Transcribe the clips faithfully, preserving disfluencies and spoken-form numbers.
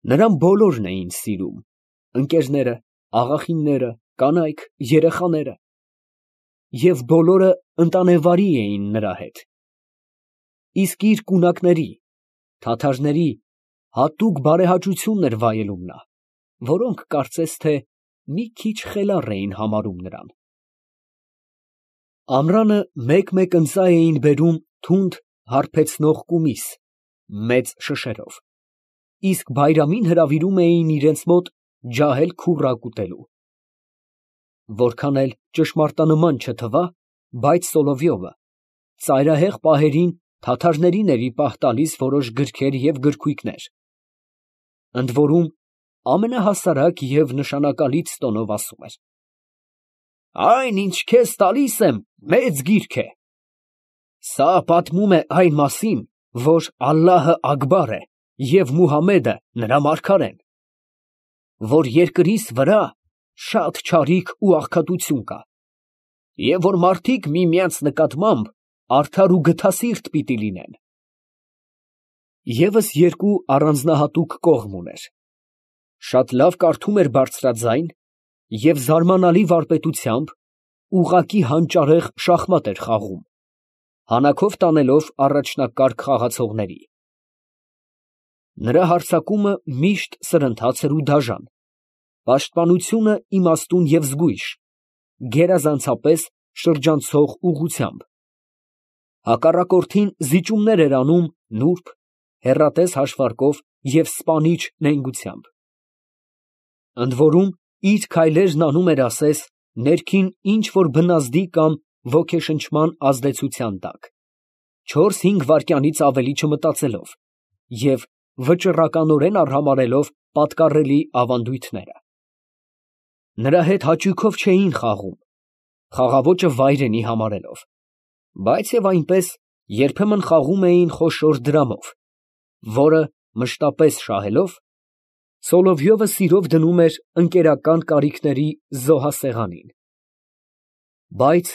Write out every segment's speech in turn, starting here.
Նրան բոլորն էին սիրում, ընկերները, աղախինները, կանայք, երեխաները, և բոլորը ընտանեվարի էին նրա հետ, իսկ իր կունակների, թաթարների հատուկ բարեհաճություն էր վայելում նա, որոնք կարծես թե մի քիչ խելառ էին համարում նրան։ Ամռանը մեկ֊մեկ ընծայ էին բերում թունդ հարբեցնող կումիս, մեծ շշերով, իսկ բայրամին հրավիրում էին իրենց մոտ ջահել քուռակ ուտելու։ Որքան էլ ճշմարտանման չթվա, բայց Սոլովյովը ծայրահեղ պահերին թաթարներին էր ի պահ տալիս որոշ գրքեր և գրքույկներ, ընդ որում ամենահասարակ և նշանակալից տոնով ասում էր. «Այն, ինչ քեզ տալիս եմ, մեծ գիրք է. սա պատմում է այն մասին, որ Ալլահը աքբար է և Մուհամմեդը նրա մարգարեն, որ երկրիս վրա շատ չարիք ու աղքատություն կա, և որ մարդիկ միմյանց նկատմամբ արդար ու գթասիրտ պիտի լինեն»։ ԵՒս երկու առանձնահատուկ կողմ ուներ. շատ լավ կարդում էր բարձրաձայն և զարմանալի վարպետությամբ ուղղակի հանճարեղ շախմատ էր խաղում, հանաքով տանելով առաջնակարգ խաղացողների։ Նրա հարձակումը միշտ սրընթաց էր ու դաժան, պաշտպանությունը իմաստուն և զգույշ, գերազանցապես շրջանցող ուղղությամբ, հակառակորդին զիջումներ էր անում նուրբ, հեռատես հաշվարկով և սպանիչ նենգությամբ, ընդ որում իր քայլերն անում էր ասես ներքին ինչ֊որ բնազդի կամ ոգեշնչման ազդեցության տակ, չորս֊հինգ վայրկյանից ավելի չմտածելով և վճռականորեն արհամարհելով պատկառելի ավանդույթները։ Նրա հետ հաճույքով չէին խաղում, խաղաոճը վայրենի համարելով, բայց և այնպես երբեմն խաղում էին խոշոր դրամով, որը մշտապես շահելով, Սոլովյովը սիրով դնում էր ընկերական կարիքների զոհասեղանին, բայց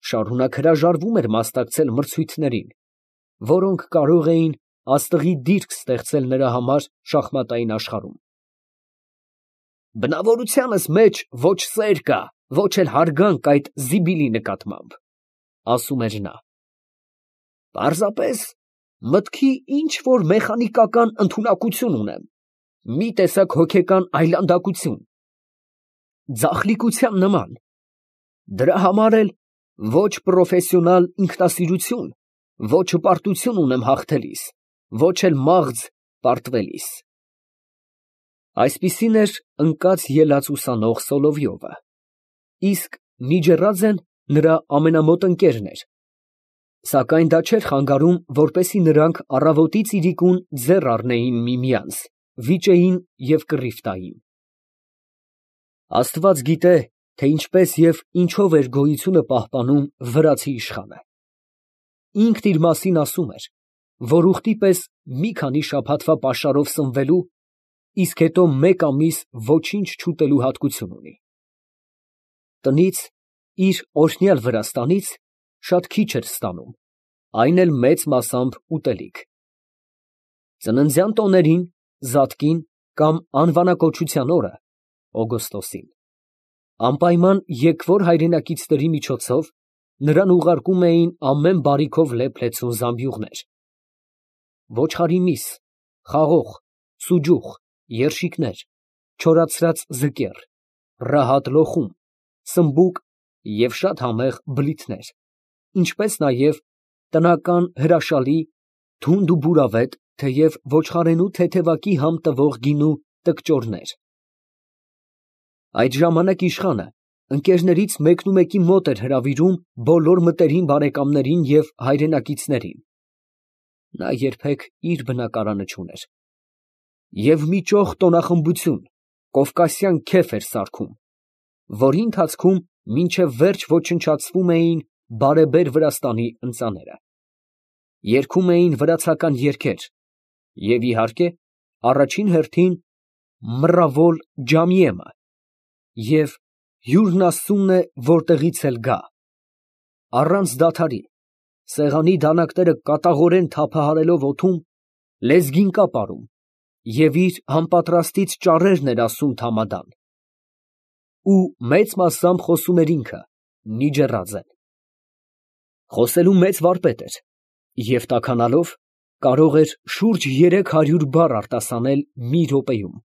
շարունակ հրաժարվում էր մասնակցել մրցույթներին, որոնք կարող էին աստղի դիրք ստեղծել նրա համար շախմատային աշխարհում։ «Բնավորությանս մեջ ոչ սեր կա, ոչ էլ հարգանք այդ զիբիլի նկատմամբ», ֊ ասում էր նա, «պարզապես մտքի ինչ֊որ մեխանիկական ընդունակություն ունեմ, մի տեսակ հոգեկան այլանդակություն, ձախլիկության նման, դրա համար էլ ոչ պրոֆեսիոնալ ինքնասիրություն, ոչ հպարտություն ունեմ հաղթելիս, ոչ էլ մաղձ պարտվելիս»։ Այսպիսին էր ընկած ելած ուսանող Սոլովյովը, իսկ Միջեռաձեն նրա ամենամոտ ընկերն էր, սակայն դա չէր խանգարում, որպեսզի նրանք առավոտից իրիկուն ձեռ առնեին միմյանց, վիճեին և կռիվ տային։ Աստված գիտե, թե ինչպես և ինչով էր գոյությունը պահպանում վրացի իշխանը. ինքն իր մասին ասում էր, որ ուղտի պես մի քանի շաբաթվա պաշարով սնվելու, իսկ հետո մեկ ամիս ոչինչ չուտելու հատկություն ունի։ Տնից, իր օրհնյալ Վրաստանից, շատ քիչ էր ստանում, այն էլ մեծ մասամբ ուտելիք։ Ծննդյան տոներին, զատկին կամ անվանակոչության օրը (օգոստոսին) անպայման եկվոր հայրենակիցների միջոցով նրան ուղարկում էին ամեն բարիքով լեփ֊լեցուն զամբյուղներ, ոչխարի միս, խաղող, սուջուխ, երշիկներ, չորացրած ձկեռ, ռահատ լոխում, սմբուկ և շատ համեղ բլիթներ, ինչպես նաև տնական հրաշալի, թունդ ու բուրավետ, թեև ոչխարենու թեթևակի համ տվող գինու տկճորներ։ Այդ ժամանակ իշխանը ընկերներից մեկնումեկի մոտ էր հրավիրում բոլոր մտերիմ բարեկամներին և հայրենակիցներին (նա երբեք իր բնակարանը չուներ) և մի ճոխ տոնախմբություն, կովկասյան քեֆ էր սարքում, որի ընթացքում մինչև վերջ ոչնչացվում էին բարեբեր Վրաստանի ընծաները, երգում էին վրացական երգեր և, իհարկե, առաջին հերթին «Մռավոլ ջամիե»֊ը և «Հյուրն Աստծունն է, որտեղից էլ գա», առանց դադարի, սեղանի դանակները կատաղորեն թափահարելով օդում, լեզգին կապ արում և իր համապատրաստից ճառերն էր ասում Թամադան։ Ու մեծ մասամբ խոսում էր ինքը, Նիջեռաձեն։ Խոսելու մեծ վարպետ էր և տաքանալով կարող էր շուրջ երեք հարյուր բառ արտասանել մի րոպեում։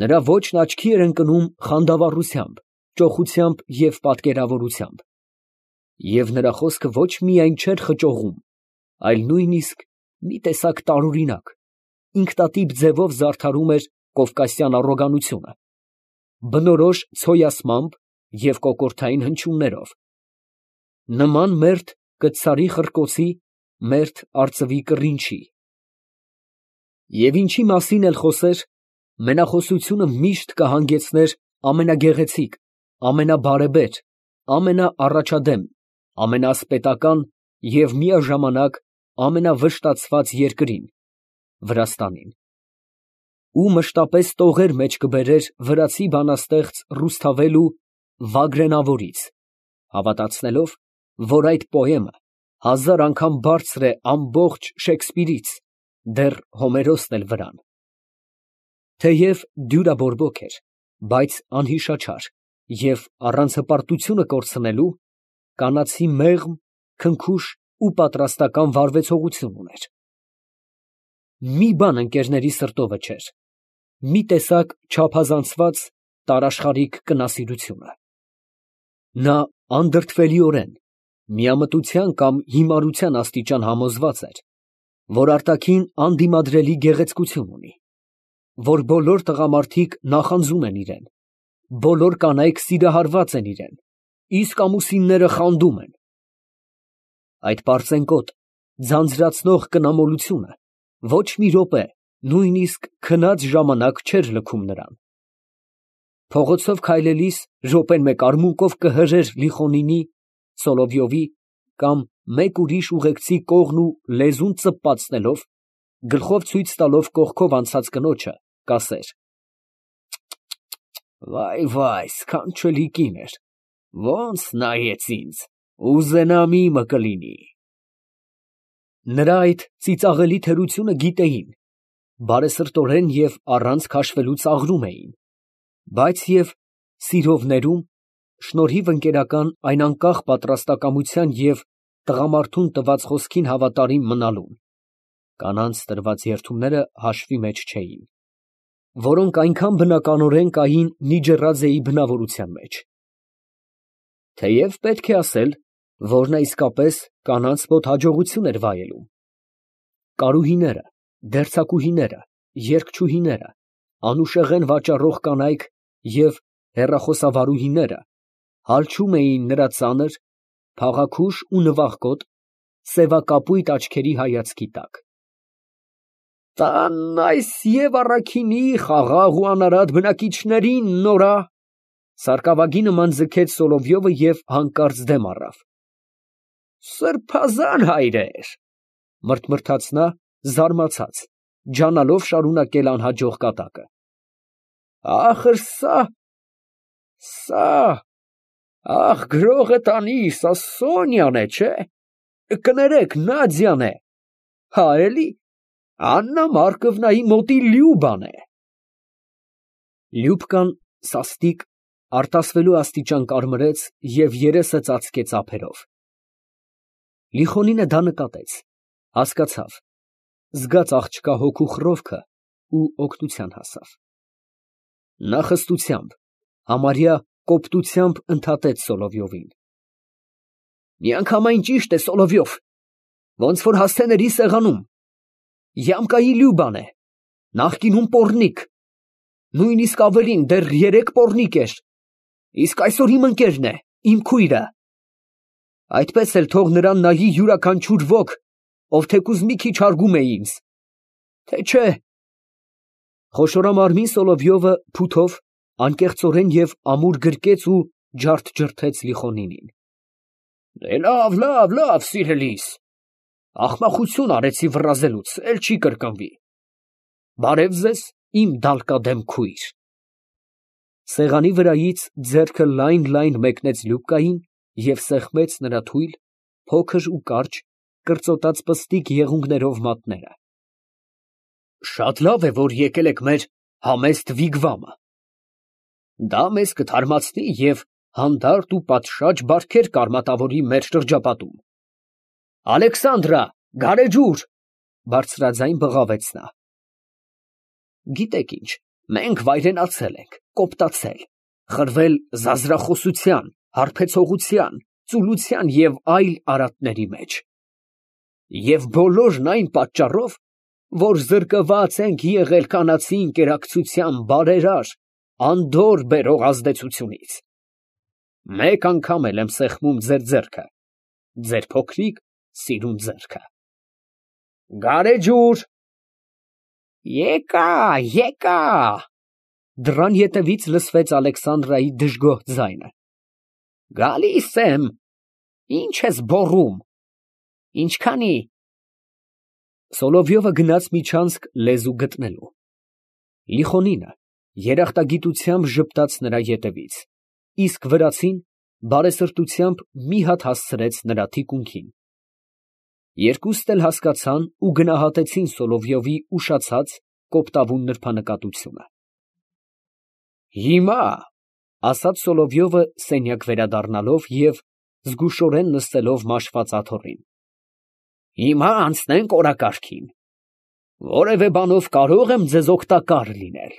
Նրա ոճն աչքի էր ընկնում խանդավառությամբ, ճոխությամբ և պատկերավորությամբ, և նրա խոսքը ոչ միայն չէր խճողում, այլ նույնիսկ մի տեսակ տարօրինակ, ինքնատիպ ձևով զարդարում էր կովկասյան առոգանությունը, բնորոշ ցոյասմամբ և կոկորդային հնչյուններով, նման մերթ կտցարի խռկոցի, մերթ արծվի կռինչի։ Եվ ինչի մասին էլ խոսեր, մենախոսությունը միշտ կհանգեցներ ամենագեղեցիկ, ամենաբարեբեր, ամենաառաջադեմ, ամենաասպետական և միաժամանակ ամենավշտացված երկրին՝ Վրաստանին, ու մշտապես տողեր մեջ կբերեր վրացի բանաստեղծ Ռուսթավելու Վագրենավորից, հավատացնելով, որ այդ պոեմը հազար անգամ բարձր է ամբողջ Շեքսպիրից, դեռ Հոմերոսն էլ վրան։ Թեև դյուրաբորբոք էր, բայց անհիշաչար և, առանց հպարտությունը կորցնելու, կանացի մեղմ, քնքուշ ու պատրաստական վարվեցողություն ուներ։ Մի բան ընկերների սրտովը չէր, մի տեսակ չափազանցված տարաշխարհիկ կնասիրությունը։ Նա անդրդվելիորեն, միամտության կամ հիմարության աստիճան համոզված էր, որ արտաքին անդիմադրելի գեղեցկություն ունի, որ բոլոր տղամարդիկ նախանձում են իրան, բոլոր կանայք սիրահարված են իրան, իսկ ամուսինները խանդում են։ Այդ պարծենկոտ, ձանձրացնող կնամոլությունը ոչ մի րոպե, նույնիսկ քնած ժամանակ չէր լքում նրան։ Փողոցով քայլելիս րոպեն մեկ արմունկով կհրեր Լիխոնինի, Սոլովյովի կամ մեկ ուրիշ ուղեկցի կողն ու լեզուն ծպպացնելով, գլխով ցույց տալով կողքով անցած կնոջը, կասեր. «Վայ, սքանչելի կին էր, ոնց նայեց ինձ, ուզենամ իմը կլինի»։ Նրա այդ ծիծաղելի թերությունը գիտեին, բարեսրտորեն և առանց քաշվելու ծաղրում էին, բայց և սիրով ներում, շնորհիվ ընկերական այն անկախ պատրաստակամության և տղամարդուն տված խոսքին հավատարիմ մնալուն, կանանց տրված երդումները հաշվի մեջ չէին, որոնք այնքան բնականորեն կային Նիջեռաձեի բնավորության մեջ։ Թեև պետք է ասել, որ նա իսկապես կանանց մոտ հաջողություն էր վայելում։ Կարուհիները, դերձակուհիները, երգչուհիները, անուշեղեն վաճառող կանայք և հեռախոսավարուհիները հալչում էին նրա ծանր, փաղաքուշ ու նվախկոտ, սևակապույտ աչքերի հայացքի տակ։ «Տանն այս և առաքինի խաղաղ ու անարատ բնակիչներին նորա», սարկավագի նման ձգեց Սոլովյովը և հանկարծ դեմ առավ։ «Սրբազան հայրեր», մրթմրթաց նա, զարմացած, ջանալով շարունակել անհաջող կատակը, «ախր սա… սա… ախ, գրողը տանի, սա Սոնյան է, չէ՞, կներեք, Նադյան է, հա, էլի, Աննա Մարկովնայի մոտի Լյուբան է»։ Լյուբկան սաստիկ, արտասվելու աստիճան կարմրեց և երեսը ծածկեց ափերով։ Լիխոնինը դա նկատեց, հասկացավ, զգաց աղջկա հոգու խռովքը ու օգնության հասավ։ Նա խստությամբ, համարյա կոպտությամբ ընդհատեց Սոլովյովին. «Միանգամայն ճիշտ է, Սոլովյով, ոնց որ հասցեների սեղանում, Յամկայի Լյուբան է, նախկինում պոռնիկ, նույնիսկ ավելին, դեռ երեկ պոռնիկ էր, իսկ այսօր իմ ընկերն է, իմ քույրը։ Այդպես էլ թող նրան նայի յուրաքանչյուր ոք, ով թեկուզ մի քիչ հարգում է ինձ, թե չէ…»։ Խոշորամարմին Սոլովյովը փութով անկեղծորեն և ամուր գրկեց ու ջարդ֊ջրդեց Լիխոնինին։ «Լավ, լավ, լավ, սիրելիս, ախմախություն արեցի վռազելուց, էլ չի կրկնվի։ Բարև ձեզ, իմ դալկադեմ քույր»։ Սեղանի վրայից ձեռքը լայն֊լայն մեկնեց Լյուբկային և սեղմեց նրա թույլ, փոքր ու կարճ, կրծոտած պստիկ եղունգներով մատները։ Շատ լավ է, որ եկել եք մեր համեստ վիգվամը։ Դա մեզ կթարմացնի և հանդարտ ու պատշաճ բարքեր կարմատավորի մեր շրջապատում։ Ալեքսանդրա, գարեջուր, բարձրաձայն բղավեց նա։ Գիտեք ինչ, մենք վայրենացել ենք, կոպտացել, խրվել զազրախոսության, հարբեցողության, ծուլության և այլ արատների մեջ։ Եվ բոլորն այն պատճառով, որ զրկված ենք եղել կանացի ընկերակցության բարերար, անդորր բերող ազդեցությունից։ Մեկ անգամ էլ եմ սեղմում ձեր ձեռքը, ձեր փոքրիկ սիրուն ձեռքը։ Գարեջուր։ Եկա, եկա։ Դռան ետևից լսվեց Ալեքսանդրայի դժգոհ ձայնը։ Գալիս եմ։ Ինչ ես բոռում։ Ինչքանի։ Սոլովյովը գնաց միջանցք լեզու գտնելու։ Լիխոնինը երախտագիտությամբ ժպտաց նրա ետևից, իսկ վրացին բարեսրտությամբ մի հատ հասցրեց նրա թիկունքին։ Երկուստ էլ հասկացան ու գնահատեցին Սոլովյովի ուշացած, կոպտավուն նրբանկատությունը։ Հիմա, ասաց Սոլովյովը սենյակ վերադառնալով և զգուշորեն նստելով մաշված աթոռին, հիմա անցնենք օրակարգին։ Որևէ բանով կարո՞ղ եմ ձեզ օգտակար լինել։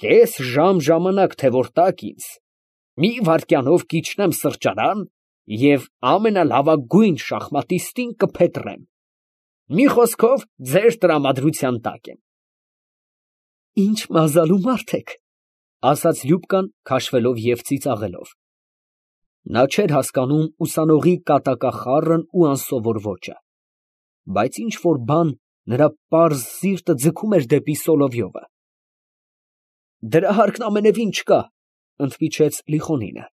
Կես ժամ ժամանակ թե որ տաք ինձ, մի վայրկյանով կիջնեմ սրճարան և ամենալավագույն շախմատիստին կփետրեմ։ Մի խոսքով, ձեր տրամադրության տակ եմ։ Ինչ մազալու մարդ եք, ասաց Լյուբկան քաշվելով և ծիծաղելով։ Նա չէր հասկանում ուսանողի կատակախառն ու անսովոր ոճը, բայց ինչ֊որ բան նրա պարզ սիրտը ձգում էր դեպի Սոլովյովը։ Դրա հարկն ամենևին չկա, ընդմիջեց Լիխոնինը։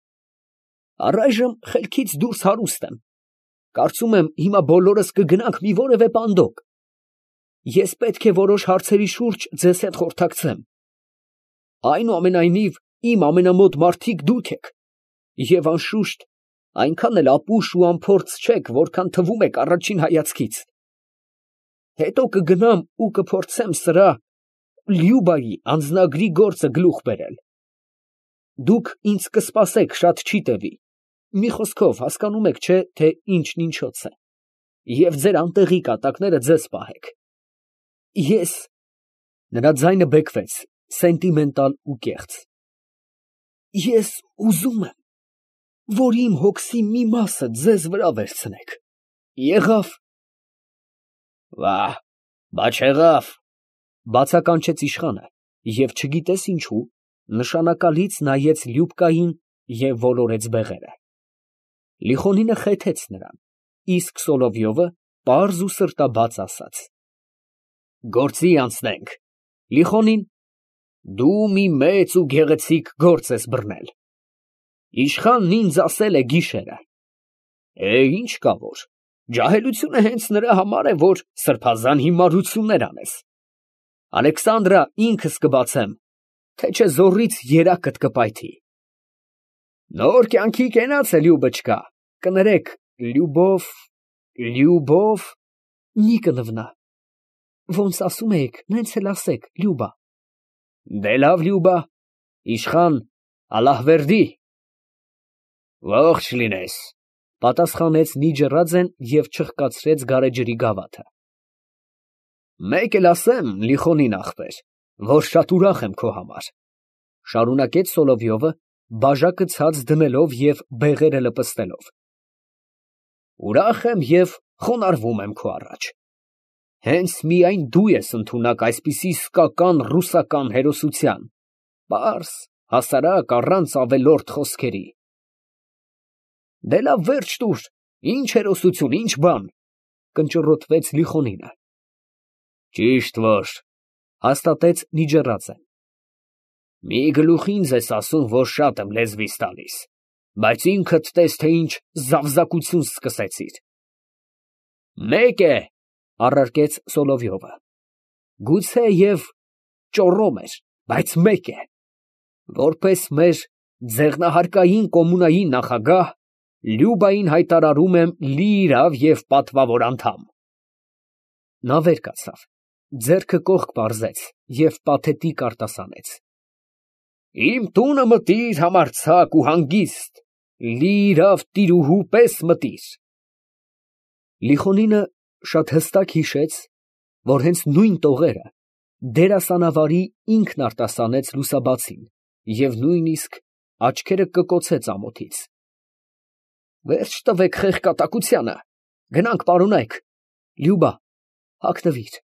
Առայժմ խելքից դուրս հարուստ եմ, կարծում եմ հիմա բոլորս կգնանք մի որևէ պանդոկ։ Ես պետք է որոշ հարցերի շուրջ ձեզ հետ խորհրդակցեմ։ Այնուամենայնիվ, իմ ամենամոտ մարդիկ դուք եք, և անշուշտ այնքան էլ ապուշ ու անփորձ չեք, որքան թվում եք առաջին հայացքից։ Հետո կգնամ ու կփորձեմ սրա Լյուբայի անձնագրի գործը գլուխ բերել։ Դուք ինձ կսպասեք շատ չի տևի, մի խոսքով հասկանում եք, չէ՞, թե ինչն ինչոց է, և ձեր անտեղի կատակները ձեզ պահեք։ Ես… Նրա ձայնը բեկվեց, սենտիմենտալ ու կեղծ։ Ես ուզում եմ, որ իմ հոգսի մի մասը ձեզ վրա վերցնեք։ Եղա՞վ։ Վա՜, բա չեղավ, բացականչեց իշխանը և չգիտես ինչու, նշանակալից նայեց Լյուբկային և ոլորեց բեղերը։ Լիխոնինը խեթեց նրան, իսկ Սոլովյովը պարզ ու սրտաբաց ասաց. Գործի անցնենք։ Լիխոնին, դու մի մեծ ու գեղեցիկ գործ ես բռնել։ Իշխանն ինձ ասել է գիշերը։ Է, ինչ կա որ, ջահելությունը հենց նրա համար է, որ սրբազան հիմարություններ անես։ Ալեքսանդրա, ինքս կբացեմ, թե չէ զոռից երակդ կպայթի։ Նոր կյանքի կենաց է Լյուբոչկա, կներեք, Լյուբով, Լյուբով, մի կնվնա։ Ոնց ասում էիք, նենց էլ ասեք, Լյուբա։ Դե լավ, Լյուբա, իշխան, ալլահվերդի։ Ողջ լինես, պատասխանեց Նիջեռաձեն և չխկացրեց գարեջրի գավաթը։ Մեկ էլ ասեմ, Լիխոնին ախպեր, որ շատ ուրախ եմ քո համար, շարունակեց Սոլովյովը, բաժակը ցած դնելով և բեղերը լպստելով։ Ուրախ եմ և խոնարհվում եմ քո առաջ։ Հենց միայն դու ես ընդունակ այսպիսի իսկական ռուսական հերոսության, պարզ, հասարակ, առանց ավելորդ խոսքերի։ Դե լավ, վերջ տուր, ինչ հերոսություն, ինչ բան, կնճռոտվեց Լիխոնինը։ Ճիշտ որ, հաստատեց Նիջեռաձեն։ Մի գլուխ ինձ ես ասում, որ շատ եմ լեզվիս տալիս, բայց ինքդ տես, թե ինչ զավզակություն սկսեցիր։ Մեկ է, առարկեց Սոլովյովը, գուցեև ճոռոմ էր, բայց մեկ է, որպես մեր ձեղնահարկային կոմունայի նախագահ, Լյուբային հայտարարում եմ լիիրավ և պատվավոր անդամ։ Նա վեր կացավ, ձեռքը կողք պարզեց և պաթետիկ արտասանեց. Իմ տունը մտիր համարձակ ու հանգիստ, լի իրավ տիրուհու պես մտիր։ Լիխոնինը շատ հստակ հիշեց, որ հենց նույն տողերը դերասանավարի ինքն արտասանեց լուսաբացին և նույնիսկ աչքերը կկոցեց ամոթից։ Վերջ տվեք խեղկատակությանը, գնանք պարոնայք, Լյուբա, հագնվիր։